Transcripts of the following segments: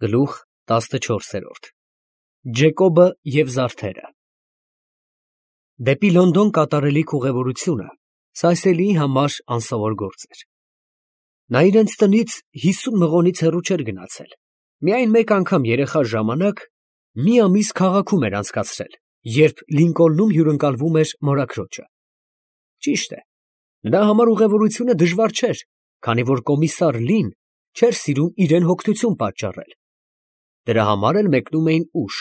Գլուխ 14 Ջեկոբը և զարդերը Դեպի Լոնդոն կատարելիք ուղևորությունը Սայսելիի համար անսովոր գործ էր։ Նա իրենց տնից 50 մղոնից հեռու չէր գնացել, միայն մեկ անգամ երեխա ժամանակ մի ամիս քաղաքում էր անցկացրել, երբ Լինկոլնում հյուրընկալվում էր մորաքրոջը։ Ճիշտ է, նրա համար ուղևորությունը դժվար չէր, քանի որ կոմիսար Լին չէր սիրում իրեն հոգնություն պատճառել։ Դրա համար էլ մեկնում էին ուշ,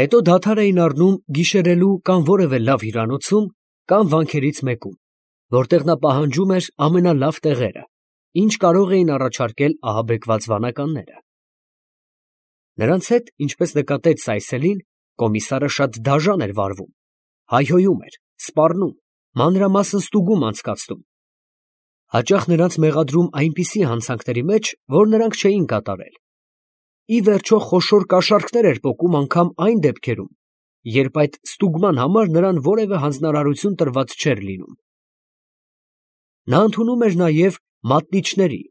հետո դադար էին առնում գիշերելու կամ որևէ լավ հյուրանոցում, կամ վանքերից մեկում, որտեղ նա պահանջում էր ամենալավ տեղերը, ինչ կարող էին առաջարկել ահաբեկված վանականները։ Նրանց հետ, ինչպես նկատեց Սայսելին, կոմիսարը շատ դաժան էր վարվում, հայհոյում էր, սպառնում, մանրամասն ստուգում անցկացնում։ Հաճախ նրանց մեղադրում այնպիսի հանցանքների մեջ, որ նրանք չէին կատարել։ Ի վերջո խոշոր կաշառքներ էր պոկում անգամ այն դեպքերում, երբ այդ ստուգման համար նրան որևէ հանձնարարություն տրված չէր լինում։ Նա ընդունում էր նաև մատնիչների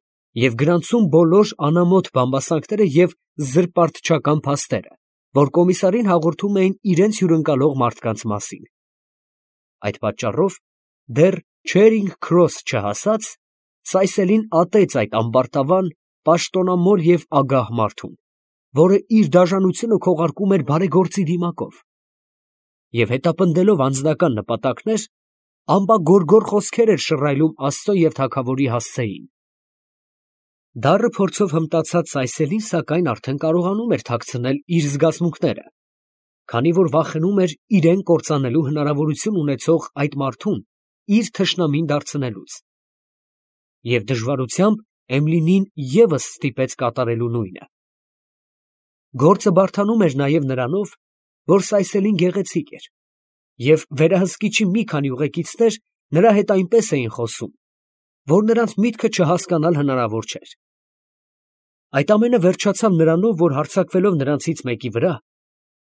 և գրանցում բոլոր անամոթ բամբասանքները և զրպարտչական փաստերը, որ կոմիսարին հաղորդում էին իրենց հյուրընկալող մարդկանց մասին։ Այդ պատճառով, դեռ Չերինգ Քրոս չհասած, Սայսելին ատեց այդ ամբարտավան, պաշտոնամոլ և ագահ մարդուն, որը իր դաժանությունը քողարկում էր բարեգործի դիմակով, և հետապնդելով անձնական նպատակներ, ամպագորգոր խոսքեր էր շռայլում Աստծո և թագավորի հասցեին։ Դառը փորձով հմտացած Սայսելին, սակայն, արդեն կարողանում էր թաքցնել իր զգացմունքները, քանի որ վախենում էր իրեն կործանելու հնարավորություն ունեցող այդ մարդուն իր թշնամին դարձնելուց։ Եվ դժվարությամբ Էմլինին ևս ստիպեց կատարելու նույնը։ Գործը բարդանում էր նաև նրանով, որ Սայսելին գեղեցիկ էր, և վերահսկիչի մի քանի ուղեկիցներ նրա հետ այնպես էին խոսում, որ նրանց միտքը չհասկանալ հնարավոր չէր։ Այդ ամենը վերջացավ նրանով, որ հարձակվելով նրանցից մեկի վրա,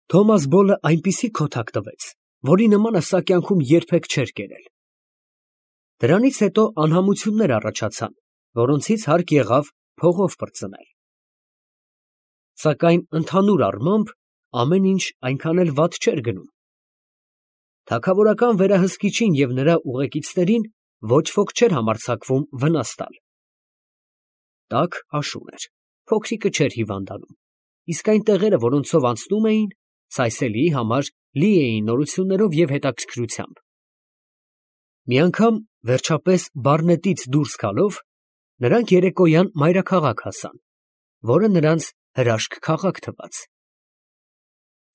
Թոմաս Բոլը այնպիսի քոթակ տվեց, որի նմանը սա կյանքում երբեք չէր կերել։ Դրանից հետո անհամություններ առաջացան, որոնցից հարկ եղավ փողով պրծնել։ Սակայն ընդհանուր առմամբ ամեն ինչ այնքան էլ վատ չէր գնում։ Թագավորական վերահսկիչին և նրա ուղեկիցներին ոչ ոք չէր համարձակվում վնաս տալ։ Տաք աշուն էր, փոքրիկը չէր հիվանդանում, իսկ այն տեղերը, որոնցով անցնում էին, Սայսելիի համար լի էին նորություններով և հետաքրքրությամբ։ Մի անգամ, վերջապես, Բարնետից դուրս գալով, նրանք երեկոյան մայրաքաղաք հասան, որը նրանց հրաշք քաղաք թվաց։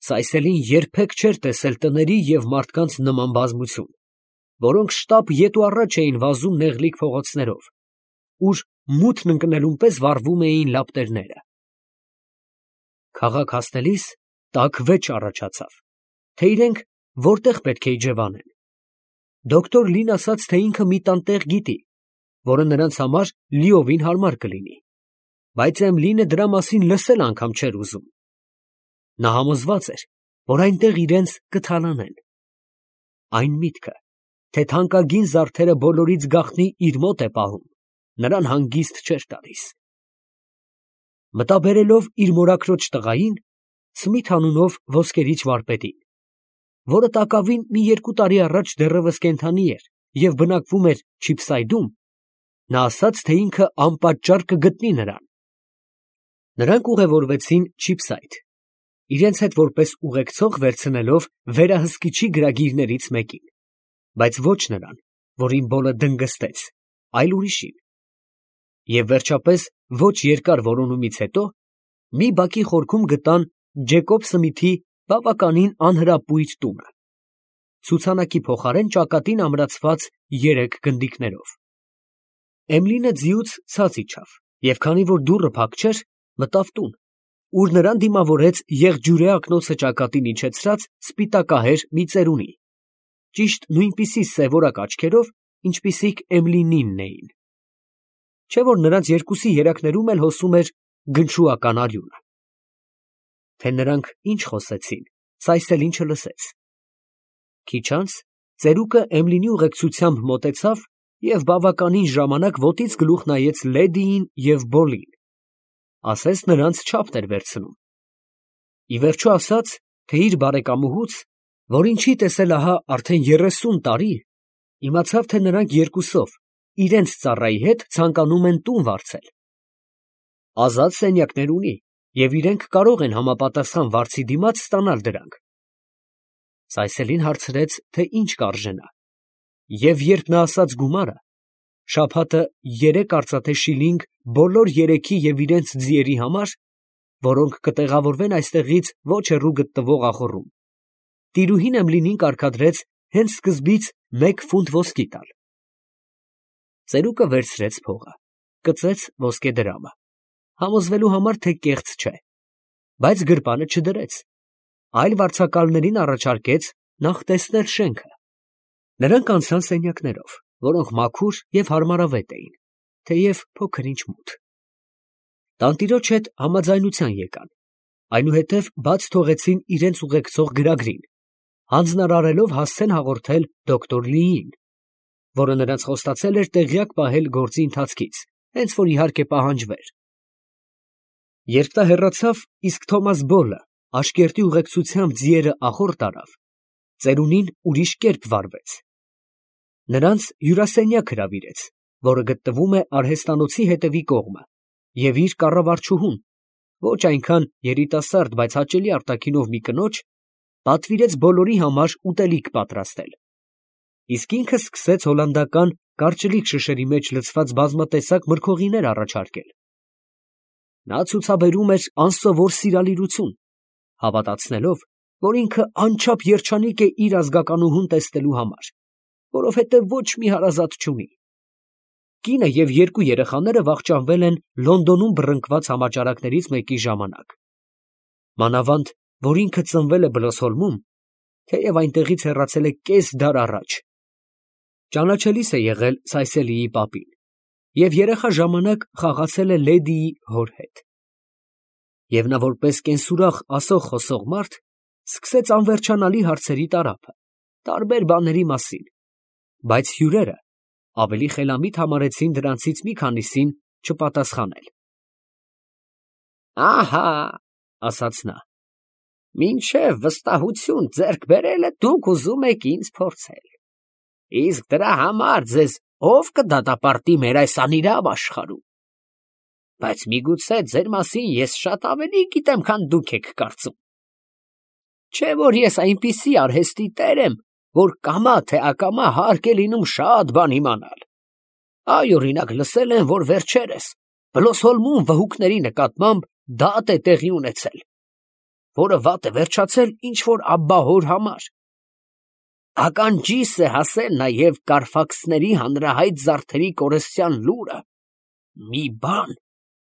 Սայսելին երբեք չէր տեսել տների և մարդկանց նման բազմություն, որոնք շտապ ետ ու առաջ էին վազում նեղլիկ փողոցներով, ուր մութն ընկնելուն պես վառվում էին լապտերները։ Քաղաք հասնելիս տաք վեճ առաջացավ, թե իրենք որտեղ պետք է իջևանեն։ Դոկտոր Լին ասաց, թե ինքը մի տան տեղ գիտի, որը նրանց համար լիովին հարմար կլինի, բայց Էմլինը դրա մասին լսել անգամ չէր ուզում։ Նա համոզված էր, որ այնտեղ իրենց կթալանեն։ Այն միտքը, թե թանկագին զարդերը բոլորից գաղտնի իր մոտ է պահում, նրան հանգիստ չէր տալիս։ Մտաբերելով իր մորաքրոջ տղային, Սմիթ անունով ոսկերիչ վարպետին, որը տակավին մի 2 տարի առաջ դեռևս կենդանի էր և բնակվում էր Չիփսայդում, նա ասաց, թե ինքը անպատճառ կգտնի նրան։ Նրանք ուղևորվեցին Չիփսայդ, իրենց հետ որպես ուղեկցող վերցնելով վերահսկիչի գրագիրներից մեկին, բայց ոչ նրան, որին Բոլը դնգստեց, այլ ուրիշին։ Եվ վերջապես, ոչ երկար որոնումից հետո, մի բակի խորքում գտան Ջեկոբ Սմիթի բավականին անհրապույր տունը, ցուցանակի փոխարեն ճակատին ամրացված 3 գնդիկներով։ Էմլինը ձիուց ցած իջավ, և քանի որ դուռը փակ չէր, մտավ տուն, ուր նրան դիմավորեց եղջյուրե ակնոցը ճակատին իջեցրած սպիտակահեր մի ծերունի, ճիշտ նույնպիսի սևորակ աչքերով, ինչպիսիք Էմլինինն էին, չէ՞ որ նրանց երկուսի երակներում էլ հոսում էր գնչուական արյունը։ Թե նրանք ինչ խոսեցին, Սայսելին չլսեց։ Քիչ անց ծերուկը Էմլինի ուղեկցությամբ մոտեցավ և բավականին ժամանակ ոտից գլուխ նայեց լեդիին և Բոլին, ասես նրանց չափն էր վերցնում։ Ի վերջո ասաց, թե իր բարեկամուհուց, որին չի տեսել ահա արդեն 30 տարի, իմացավ, թե նրանք երկուսով իրենց ծառայի հետ ցանկանում են տուն վարձել։ Ազատ սենյակներ ունի, և իրենք կարող են համապատասխան վարձի դիմաց ստանալ դրանք։ Սայսելին հարցրեց, թե ինչ կարժենա, և երբ նա ասաց գումարը, շաբաթը 3 արծաթե շիլինգ բոլոր երեքի և իրենց ձիերի համար, որոնք կտեղավորվեն այստեղից ոչ հեռու գտնվող ախոռում, տիրուհին Էմլինին կարգադրեց հենց սկզբից 1 ֆունտ ոսկի տալ։ Ծերուկը վերցրեց փողը, կծեց ոսկեդրամը, համոզվելու համար, թե կեղծ չէ, բայց գրպանը չդրեց, այլ վարձակալներին առաջարկեց նախ տեսնել շենքը։ Նրանք անցան սենյակներով, որոնք մաքուր և հարմարավետ էին, թեև փոքր-ինչ մութ։ Տանտիրոջ հետ համաձայնության եկան, այնուհետև բաց թողեցին իրենց ուղեկցող գրագրին, հանձնարարելով հասցեն հաղորդել դոկտոր Լիին, որը նրանց խոստացել էր տեղյակ պահել գործի ընթացքից, հենց որ իհարկե պահանջվեր։ Երբ նա հեռացավ, իսկ Թոմաս Բոլը Աշկերտի ուղեկցությամբ ձիերը ախոռ տարավ, ծերունին ուրիշ կերպ վարվեց։ Նրանց հյուրասենյակ հրավիրեց, որը գտնվում է արհեստանոցի հետևի կողմը, և իր կառավարչուհուն, ոչ այնքան երիտասարդ, բայց հաճելի արտաքինով մի կնոջ, պատվիրեց բոլորի համար ուտելիք պատրաստել, իսկ ինքը սկսեց հոլանդական կարճլիկ շշերի մեջ լցված բազմատեսակ մրգօղիներ առաջարկել։ Նա ցուցաբերում էր անսովոր սիրալիրություն, հավատացնելով, որ ինքը անչափ երջանիկ է իր ազգականուհուն տեսնելու համար, որովհետև ոչ մի հարազատ չունի։ Կինը և 2 երեխաները վախճանվել են Լոնդոնում բռնկված համաճարակներից մեկի ժամանակ։ Մանավանդ, որ ինքը ծնվել է Բլոսհոլմում, թեև այնտեղից հեռացել է կես դար առաջ։ Ճանաչելիս է եղել Սայսելիի պապին և երեխա ժամանակ խաղացել է լեդիի հոր հետ։ Եվ նա որպես կենսուրախ ասող֊խոսող մարդ սկսեց անվերջանալի հարցերի տարափը, տարբեր բաների մասին, բայց հյուրերը ավելի խելամիտ համարեցին դրանցից մի քանիսին չպատասխանել։ «Ահա, ֊ ասաց նա, ֊ մինչև վստահություն ձեռք բերելը դուք ուզում եք ինձ փորձել, իսկ դրա համար ձեզ ով կդատապարտի մեր այս անիրավ աշխարհում, բայց միգուցե ձեր մասին ես շատ ավելի գիտեմ, քան դուք եք կարծում, չէ՞ որ ես այնպիսի արհեստի տեր եմ, որ կամա թե ակամա հարկ է լինում շատ բան իմանալ։ Այ, օրինակ, լսել եմ, որ վերջերս Բլոսհոլմում վհուկների նկատմամբ դատ է տեղի ունեցել, որը վատ է վերջացել ինչ-որ աբբահոր համար։ Ականջիս է հասել նաև Կարֆաքսների հանրահայտ զարդերի կորստյան լուրը, մի բան,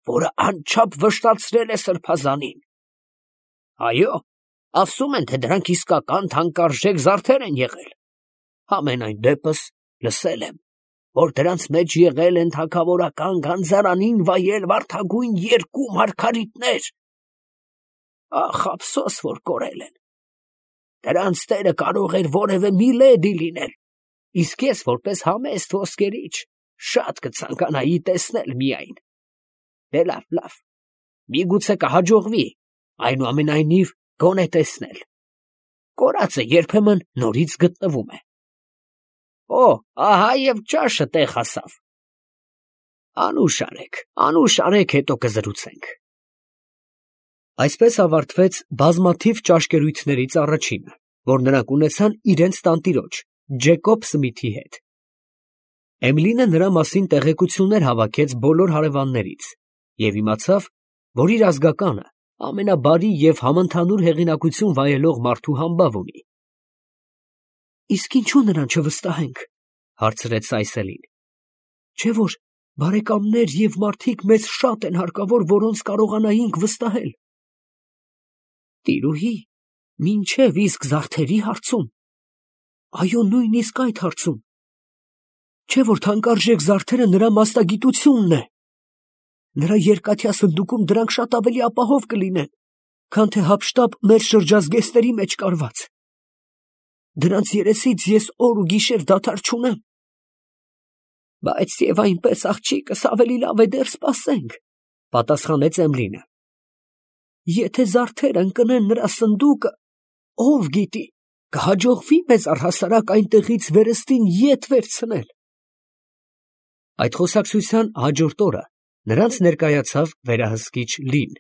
որը անչափ վշտացրել է սրբազանին։ Այո, ասում են, թե դրանք իսկական թանկարժեք զարդեր են եղել։ Համենայն դեպս լսել եմ, որ դրանց մեջ եղել են թագավորական գանձարանին վայել վարդագույն 2 մարգարիտներ։ Ախ, ափսոս, որ կորել են։ Դրանց տերը կարող էր որևէ մի լեդի լինել, իսկ ես որպես համեստ ոսկերիչ շատ կցանկանայի տեսնել միայն։ Դե լավ, միգուցե կհաջողվի, այնուամենայնիվ գոնե տեսնել։ Կորածը երբեմն նորից գտնվում է։ Օ, ահա և ճաշը տեղ հասավ։ Անուշ արեք, հետո կզրուցենք։ Այսպես ավարտվեց բազմաթիվ ճաշկերույթներից առաջինը, որ նրանք ունեցան իրենց տանտիրոջ Ջեկոբ Սմիթի հետ։ Էմլինը նրա մասին տեղեկություններ հավաքեց բոլոր հարևաններից և իմացավ, որ իր ազգականը ամենաբարի և համընդհանուր հեղինակություն վայելող մարդու համբավ ունի։ Իսկ ինչու նրան չվստահենք, ֊ հարցրեց Սայսելին, ֊ չէ՞ որ բարեկամներ և մարդիկ մեզ շատ են հարկավոր, որոնց կարողանայինք վստահել։ Տիրուհի, մինչև իսկ զարդերի հարցում։ Այո, նույնիսկ այդ հարցում։ Չէ՞ որ թանկարժեք զարդերը նրա մասնագիտությունն է։ Նրա երկաթյա սնդուկում դրանք շատ ավելի ապահով կլինեն, քան թե հափշտապ մեր շրջազգեստների մեջ կարված։ Դրանց երեսից ես օր ու գիշեր դադար չունեմ։ Բայց և այնպես, աղջիկս, ավելի լավ է դեռ սպասենք, Պատասխանեց Էմլինը։ Եթե զարդերը ընկնեն նրա սնդուկը, ով գիտի, կհաջողվի մեզ առհասարակ այնտեղից վերստին ետ վերցնել։ Այդ խոսակցության հաջորդ օրը նրանց ներկայացավ վերահսկիչ Լին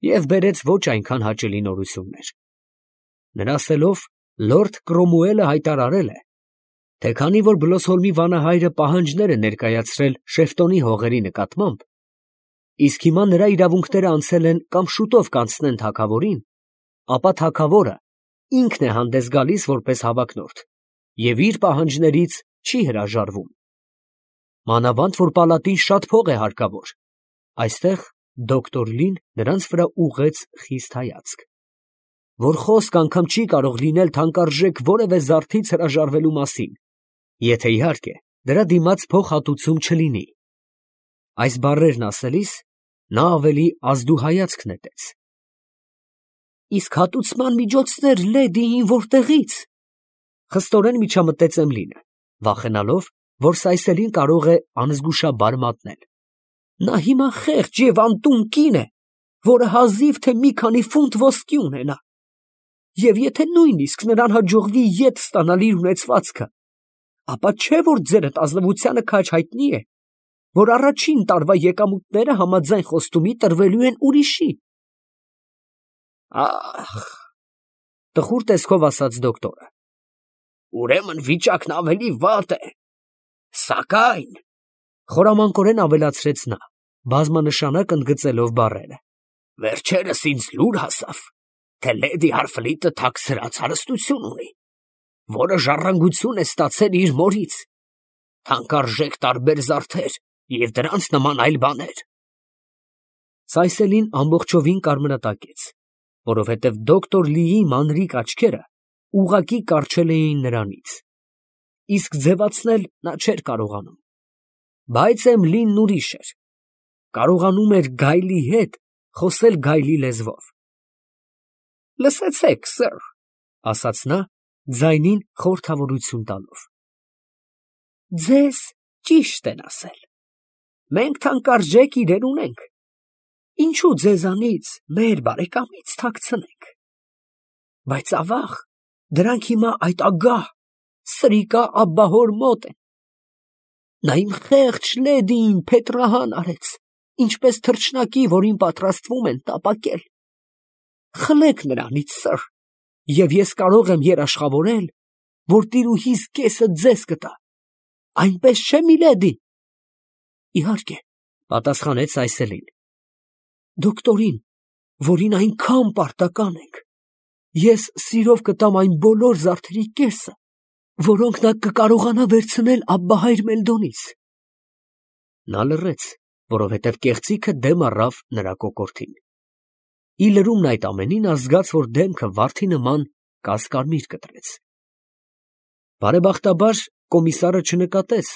և բերեց ոչ այնքան հաճելի նորություններ։ Նրա ասելով լորդ Կրոմուելը հայտարարել է, թե քանի որ Բլոսհոլմի վանահայրը պահանջներ է ներկայացրել Շեֆտոնի հողերի նկատմամբ, իսկ հիմա նրա իրավունքները անցել են կամ շուտով կանցնեն թագավորին, ապա թագավորը ինքն է հանդես գալիս որպես հավակնորդ և իր պահանջներից չի հրաժարվում։ Մանավանդ որ պալատին շատ փող է հարկավոր։ Այստեղ դոկտոր Լին նրանց վրա ուղղեց խիստ հայացք, որ խոսք անգամ չի կարող լինել թանկարժեք որևէ զարդից հրաժարվելու մասին, եթե իհարկե դրա դիմաց փոխհատուցում չլինի։ Այս բառերն ասելիս նա ավելի ազդուհայացք նետեց։ Իսկ հատուցման միջոցներ լեդիին որտեղից։ Խստորեն միջամտեց Էմլինը, վախենալով, որ Սայսելին կարող է անզգուշաբար մատնել։ Նա հիմա խեղճ և անտուն կին է, որը հազիվ թե մի քանի ֆունտ ոսկի ունենա, և եթե նույնիսկ նրան հաջողվի ետ ստանալ իր ունեցվածքը, ապա չէ որ ձերդ ազնվությանը քաջ հայտնի է, որ առաջին տարվա եկամուտները համաձայն խոստումի տրվելու են ուրիշի։ Ախ, տխուր տեսքով ասաց դոկտորը, ուրեմն վիճակն ավելի վատ է, սակայն, խորամանկորեն ավելացրեց նա, բազմանշանակ ընդգծելով բառերը, վերջերս ինձ լուր հասավ, թե լեդի Հարֆլիտը թաքցրած հարստություն ունի, որը ժառանգություն է ստացել իր մորից, թանկարժեք տարբեր զարդեր և դրանց նման այլ բաներ։ Սայսելին ամբողջովին կարմրատակեց, որովհետև դոկտոր Լիի մանրիկ աչքերը ուղղակի կառչել էին նրանից, իսկ ձևացնել նա չէր կարողանում։ Բայց Էմլինն ուրիշ էր, կարողանում էր գայլի հետ խոսել գայլի լեզվով։ Լսեցեք, սըր, ասաց նա, ձայնին խորհրդավորություն տալով. ձեզ ճիշտ են ասել, մենք թանկարժեք իրեր ունենք, ինչու ձեզանից, մեր բարեկամից թաքցնենք, բայց ավաղ, դրանք հիմա այդ ագահ, սրիկա աբբահոր մոտ են։ Նա իմ խեղճ լեդիին փետրահան արեց, ինչպես թռչնակի, որին պատրաստվում են տապակել։ Խլեք նրանից, սըր, և ես կարող եմ երաշխավորել, որ տիրուհիս կեսը ձեզ կտա, այնպես չէ՞ միլեդի։ Իհարկե, պատասխանեց Սայսելին, դոկտորին, որին այնքան պարտական ենք, ես սիրով կտամ այն բոլոր զարդերի կեսը, որոնք նա կկարողանա վերցնել աբբահայր Մելդոնից։ Նա լռեց, որովհետև կեղծիքը դեմ առավ նրա կոկորդին։ Ի լրումն այդ ամենին նա զգաց, որ դեմքը վարդի նման կասկարմիր կտրեց։ Բարեբախտաբար կոմիսարը չնկատեց,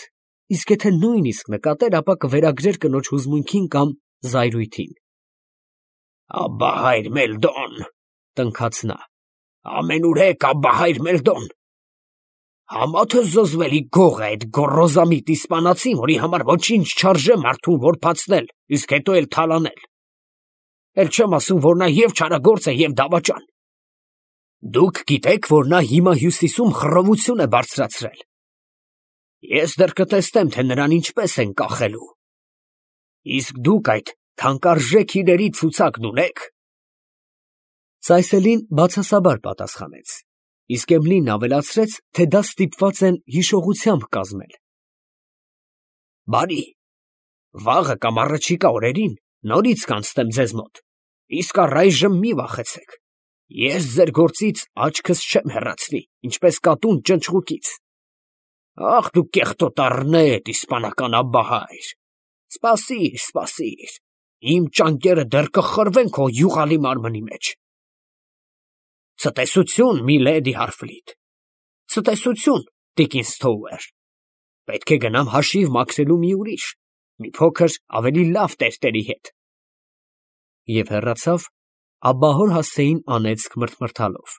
իսկ եթե նույնիսկ նկատեր, ապա կվերագրեր կնոջ հուզմունքին կամ զայրույթին։ Աբբահայր Մելդոն, տնքաց նա, ամենուրեք աբբահայր Մելդոն։ Համա թե զզվելի գող է այդ գոռոզամիտ իսպանացին, որի համար ոչինչ չարժե մարդուն որբացնել, իսկ հետո էլ թալանել։ Էլ չեմ ասում, որ նա և չարագործ է, և դավաճան։ Դուք գիտեք, որ նա հիմա հյուսիսում խռովություն է բարձրացրել։ Ես դեռ կտեսնեմ, թե նրան ինչպես են կախելու։ Իսկ դուք այդ թանկարժեք իրերի ցուցակն ունեք։ Սայսելին բացասաբար պատասխանեց, իսկ Էմլինն ավելացրեց, թե դա ստիպված են հիշողությամբ կազմել։ Բարի, վաղը կամ առաջիկա օրերին նորից կանցնեմ ձեզ մոտ, իսկ առայժմ մի վախեցեք, ես ձեր գործից աչքս չեմ հեռացնի, ինչպես կատուն ճնճղուկից։ Ախ դու կեղտոտ առնետ, իսպանական աբբահայր, սպասիր, սպասիր, իմ ճանկերը դեռ կխրվեն քո յուղալի մարմնի մեջ։ Ցտեսություն, միլեդի Հարֆլիտ, ցտեսություն, տիկին Սթոուեր, պետք է գնամ հաշիվ մաքրելու մի ուրիշ, մի փոքր ավելի լավ տերտերի հետ։ Եվ հեռացավ, աբբահոր հասցեին անեծք մրթմրթալով։